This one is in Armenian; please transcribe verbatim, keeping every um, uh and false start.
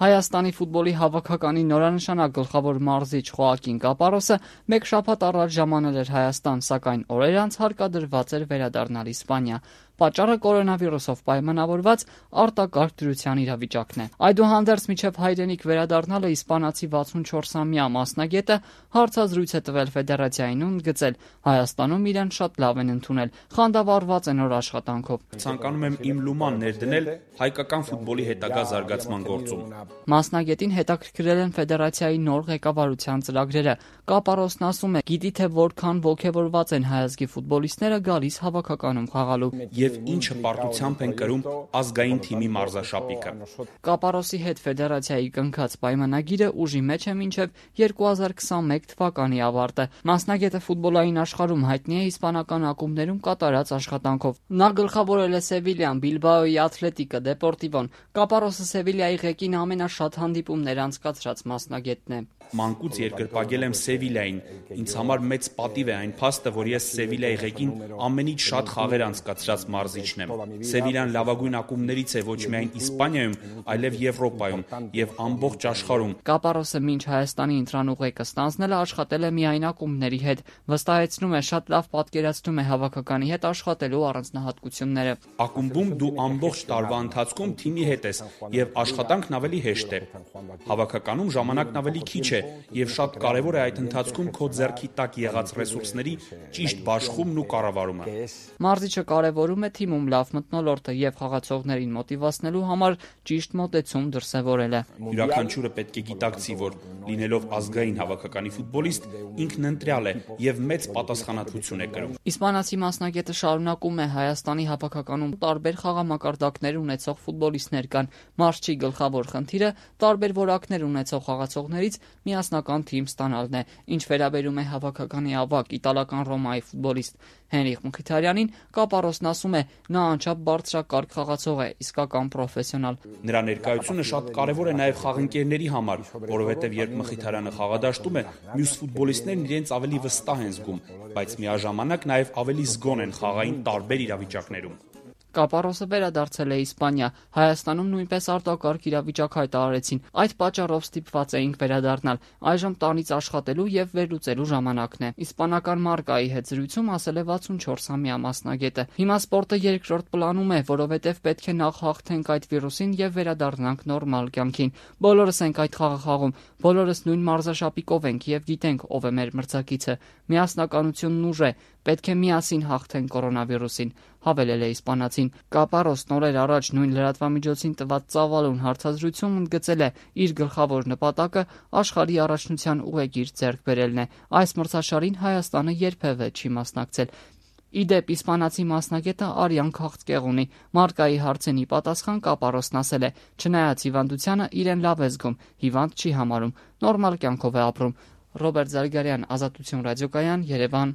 Հայաստանի ֆուտբոլի հավաքականի նորանշանակ գլխավոր մարզիչ Խոակին Կապարոսը մեկ շաբաթ առաջ ժամանել էր Հայաստան, սակայն օրեր անց հարկադրված էր վերադառնալ Իսպանիա։ Պատճառը կորոնավիրուսով պայմանավորված արտակարգ դրության իրավիճակն է։ Այդուհանդերձ մինչև հայրենիք վերադառնալը իսպանացի վաթսունչորսամյա մասնագետը հարցազրույց է տվել ֆեդերացիային ու ընդգծել Հայաստանում իրեն շատ լավ են ընդունել, խանդավառված են նոր աշխատանքով։ Ցանկանում եմ իմ լուման ներդնել հայկական ֆուտբոլի հետագա զարգացման գործում։ Մասնագետին հետաքրքրել են ֆեդերացիայի նոր ղեկավարության ծրագրերը։ Կապարոսն ասում է, գիտի թե որքան ոգևորված են հայազգի ֆուտբոլիստները գալիս հավաքականում խաղալու։ Եվ ինչ հպարտությամբ են կրում ազգային թիմի մարզաշապիկը։ Կապարոսի հետ ֆեդերացիայի կնքած պայմանագիրը ուժի մեջ է մինչև երկու հազար քսանմեկ թվականի ավարտը։ Մասնագետը ֆուտբոլային աշխարհում հայտնի է իսպանական ակումբներում կատարած աշխատանքով։ Նա գլխավորել է Սևիլիան, Բիլբաոյի Աթլետիկը, Դեպորտիվոն։ Կապարոսը Սևիլիայի ղեկին ամենաշատ հանդիպումներ անցկացրած մասնագետն է։ Մանկուց երկրպագել եմ Սևիլիային։ Ինձ համար մեծ պատիվ է այն փաստը, որ ես Սևիլիայի ղեկին ամենից շատ խաղեր անցկացրած մարզիչն եմ։ Սևիլիան լավագույն ակումբներից է ոչ միայն Իսպանիայում, այլև Եվրոպայում եւ ամբողջ աշխարհում։ Կապարոսը մինչ Հայաստանի ընտրանուղեկը ստանձնել է աշխատել է միայն ակումբների հետ։ Վստահեցնում է, շատ լավ պատկերացնում է հավաքականի հետ աշխատելու առանձնահատկությունները։ Ակումբում դու ամբողջ տարվա ընթացքում թիմի հետ ես եւ աշխատանքն ավելի հեշտ է։ Հավաքականում ժամանակն ավելի քիչ է եւ շատ կարեւոր է այդ ընթացքում քո ձեռքի տակ եղած ռեսուրսների ճիշտ բաշխումն ու կառավարումը։ Մարզիչը կարևորում է թիմում լավ մթնոլորտը եւ խաղացողներին մոտիվացնելու համար ճիշտ մոտեցում դրսեւորել է։ Յուրաքանչյուրը պետք է գիտակցի, որ լինելով ազգային հավաքականի ֆուտբոլիստ ինքն ընտրյալ է եւ մեծ պատասխանատվություն է կրում։ Իսպանացի մասնագետը շարունակում է Հայաստանի հավաքականում տարբեր խաղամակարդակներ ունեցող ֆուտբոլիստներ կան։ Մարզչի գլխավոր խնդիրը տարբեր որակներ ունեցող խաղացողներից միասնական թիմ ստանալն է։ Ինչ վերաբերում է հավաքականի ավագ իտալական Ռոմայի ֆուտբոլիստ Հենրիխ Մխիթարյանին, Կապարոսն ասում է, նա անչափ բարձրակարգ խաղացող է, իսկական պրոֆեսիոնալ։ Նրա ներկայությունը շատ կարևոր է նաև խաղընկերների համար, որովհետև երբ Մխիթարյանը խաղադաշտում է, մյուս ֆուտբոլիստներն իրենց ավելի վստահ են զգում, բայց միաժամանակ նաև ավելի զգոն են խաղային տարբեր իրավիճակներում։ Կապարոսը վերադարձել է Իսպանիա։ Հայաստանում նույնպես արտակարգ իրավիճակ հայտարարեցին։ Այդ պատճառով ստիպված էինք վերադառնալ։ Այժմ տանից աշխատելու եւ վերլուծելու ժամանակն է։ Իսպանական Մարկայի հետ զրույցում ասել է վաթսունչորսամյա մասնագետը։ Հիմա սպորտը երկրորդ պլանում է, որովհետեւ պետք է նախ հաղթենք այդ վիրուսին եւ վերադառնանք նորմալ կյանքին։ Բոլորս ենք այդ խաղը խաղում, բոլորս նույն մարզաշապիկով ենք եւ գիտենք ով է մեր մրցակիցը։ Միասնականությունն ուժ է։ Պետք է միասին հաղթենք կորոնավիրուսին, հավելել է իսպանացին։ Կապարոսն օրեր առաջ նույն լրատվամիջոցին տված ծավալուն հարցազրույցում ընդգծել է իր գլխավոր նպատակը աշխարհի առաջնության ուղեգիր ձեռք բերելն է։ Այս մրցաշարին Հայաստանը երբևէ չի մասնակցել։ Իդեպ իսպանացի մասնագետը արյան քաղցկեղ ունի։ Մարկայի հարցենի պատասխան Կապարոսն ասել է. չնայած հիվանդությանը իրեն լավ է զգում, հիվանդ չի համարում, նորմալ կյանքով է ապրում։ Ռոբերտ Զարգարյան, Ազատություն ռադիոկայան, Երևան։